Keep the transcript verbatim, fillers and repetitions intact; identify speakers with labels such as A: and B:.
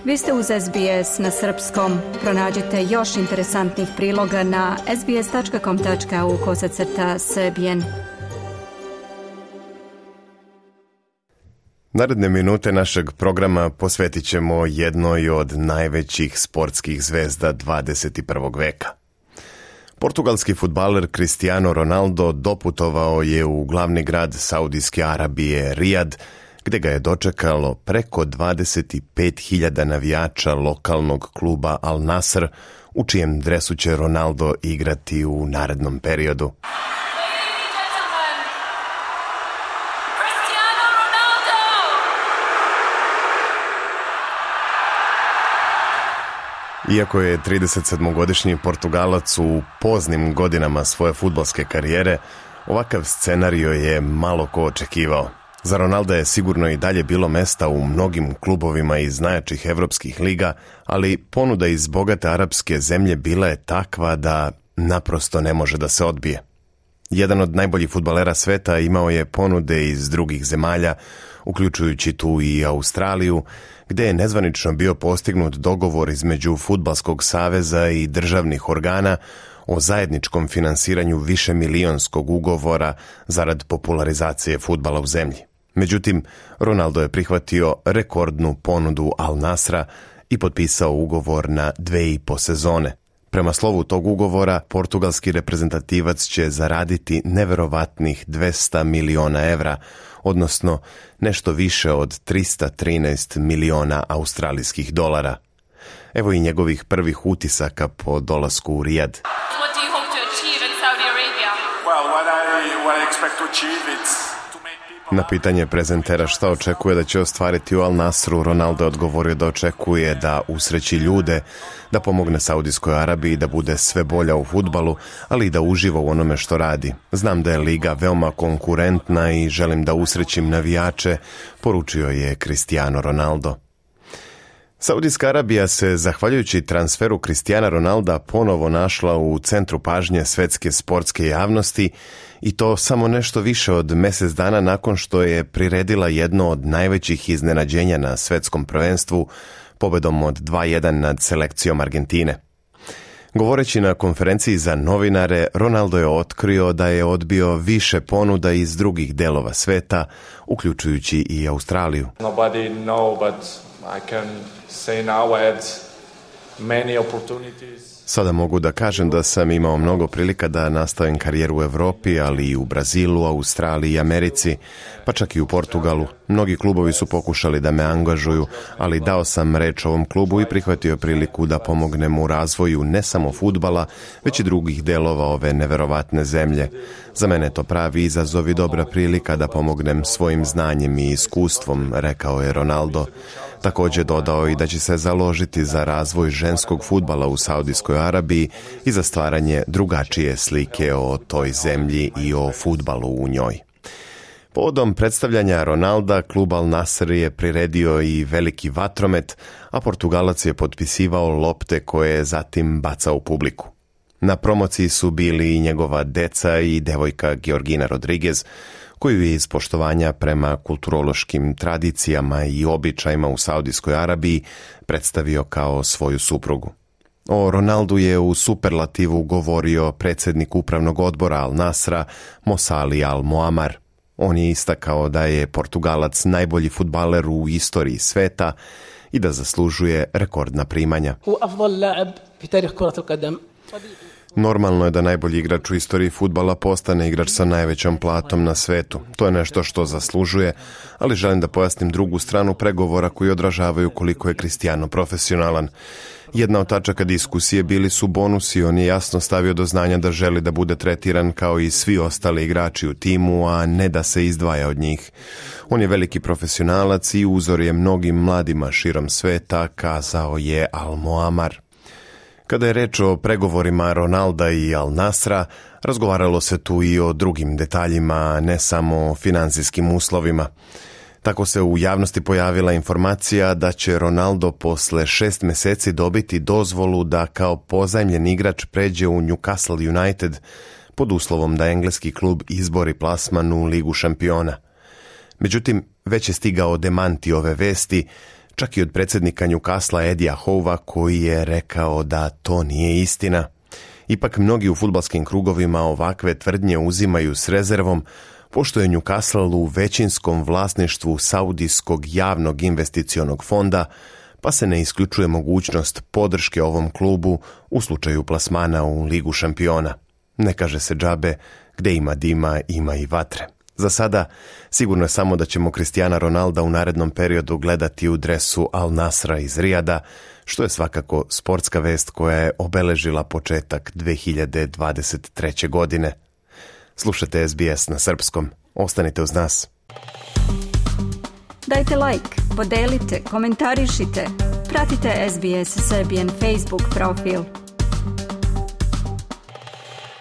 A: Vi ste uz S B S na srpskom. Pronađite još interesantnih priloga na sbs.com.au kosacrta srbijen.
B: Naredne minute našeg programa posvetit ćemo jednoj od najvećih sportskih zvezda dvadeset prvog veka. Portugalski fudbaler Cristiano Ronaldo doputovao je u glavni grad Saudijske Arabije, Rijad, gde ga je dočekalo preko dvadeset pet hiljada navijača lokalnog kluba Al Nassr, u čijem dresu će Ronaldo igrati u narednom periodu. Iako je tridesetsedmogodišnji Portugalac u poznim godinama svoje fudbalske karijere, ovakav scenario je malo ko očekivao. Za Ronalda je sigurno i dalje bilo mesta u mnogim klubovima iz najjačih evropskih liga, ali ponuda iz bogate arapske zemlje bila je takva da naprosto ne može da se odbije. Jedan od najboljih fudbalera sveta imao je ponude iz drugih zemalja, uključujući tu i Australiju, gde je nezvanično bio postignut dogovor između Fudbalskog saveza i državnih organa o zajedničkom finansiranju višemilionskog ugovora zarad popularizacije fudbala u zemlji. Međutim, Ronaldo je prihvatio rekordnu ponudu Al Nassra i potpisao ugovor na dve i po sezone. Prema slovu tog ugovora, portugalski reprezentativac će zaraditi neverovatnih dvesta miliona evra, odnosno nešto više od trista trinaest miliona australijskih dolara. Evo i njegovih prvih utisaka po dolasku u Rijad.
C: What do you hope to achieve in Saudi Arabia?
D: Well, what I, what I expect to achieve it's to make people...
B: Na pitanje prezentera šta očekuje da će ostvariti u Al Nassru, Ronaldo je odgovorio da očekuje da usreći ljude, da pomogne Saudijskoj Arabiji, da bude sve bolja u fudbalu, ali i da uživa u onome što radi. Znam da je liga veoma konkurentna i želim da usrećim navijače, poručio je Cristiano Ronaldo. Saudijska Arabija se, zahvaljujući transferu Cristiana Ronalda, ponovo našla u centru pažnje svetske sportske javnosti i to samo nešto više od mjesec dana nakon što je priredila jedno od najvećih iznenađenja na svetskom prvenstvu, pobedom od dva jedan nad selekcijom Argentine. Govoreći na konferenciji za novinare, Ronaldo je otkrio da je odbio više ponuda iz drugih delova sveta, uključujući i Australiju.
D: Nobody know, but I can say now I had many opportunities.
B: Sada mogu da kažem da sam imao mnogo prilika da nastavim karijeru u Evropi, ali i u Brazilu, Australiji i Americi, pa čak i u Portugalu. Mnogi klubovi su pokušali da me angažuju, ali dao sam reč ovom klubu i prihvatio priliku da pomognem u razvoju ne samo fudbala, već i drugih delova ove neverovatne zemlje. Za mene je to pravi izazov i dobra prilika da pomognem svojim znanjem i iskustvom, rekao je Ronaldo. Također dodao i da će se založiti za razvoj ženskog fudbala u Saudijskoj Arabiji i za stvaranje drugačije slike o toj zemlji i o fudbalu u njoj. Povodom predstavljanja Ronalda, klub Al Nassr je priredio i veliki vatromet, a Portugalac je potpisivao lopte koje je zatim bacao u publiku. Na promociji su bili i njegova deca i devojka Georgina Rodriguez, koju je iz poštovanja prema kulturološkim tradicijama i običajima u Saudijskoj Arabiji predstavio kao svoju suprugu. O Ronaldu je u superlativu govorio predsjednik upravnog odbora Al Nassra, Mosali Al Moamar. On je istakao da je Portugalac najbolji fudbaler u istoriji sveta i da zaslužuje rekordna primanja. Normalno je da najbolji igrač u istoriji fudbala postane igrač sa najvećom platom na svetu. To je nešto što zaslužuje, ali želim da pojasnim drugu stranu pregovora koji odražavaju koliko je Cristiano profesionalan. Jedna od tačaka diskusije bili su bonusi, on je jasno stavio do znanja da želi da bude tretiran kao i svi ostali igrači u timu, a ne da se izdvaja od njih. On je veliki profesionalac i uzor je mnogim mladima širom sveta, kazao je Al Moamar. Kada je reč o pregovorima Ronalda i Al Nassra, razgovaralo se tu i o drugim detaljima, ne samo o finansijskim uslovima. Tako se u javnosti pojavila informacija da će Ronaldo posle šest meseci dobiti dozvolu da kao pozajmljen igrač pređe u Newcastle United pod uslovom da engleski klub izbori plasman u Ligu šampiona. Međutim, već je stigao demanti ove vesti, čak i od predsjednika Newcastle Edija Hova koji je rekao da to nije istina. Ipak mnogi u fudbalskim krugovima ovakve tvrdnje uzimaju s rezervom, pošto je Newcastle u većinskom vlasništvu Saudijskog javnog investicionog fonda, pa se ne isključuje mogućnost podrške ovom klubu u slučaju plasmana u Ligu šampiona. Ne kaže se džabe, gde ima dima, ima i vatre. Za sada, sigurno je samo da ćemo Cristiana Ronalda u narednom periodu gledati u dresu Al Nasra iz Rijada, što je svakako sportska vest koja je obeležila početak dve hiljade dvadeset treće. godine. Slušajte S B S na srpskom. Ostanite uz nas.
A: Dajte like, podelite, komentarišite. Pratite S B S Serbian Facebook profil.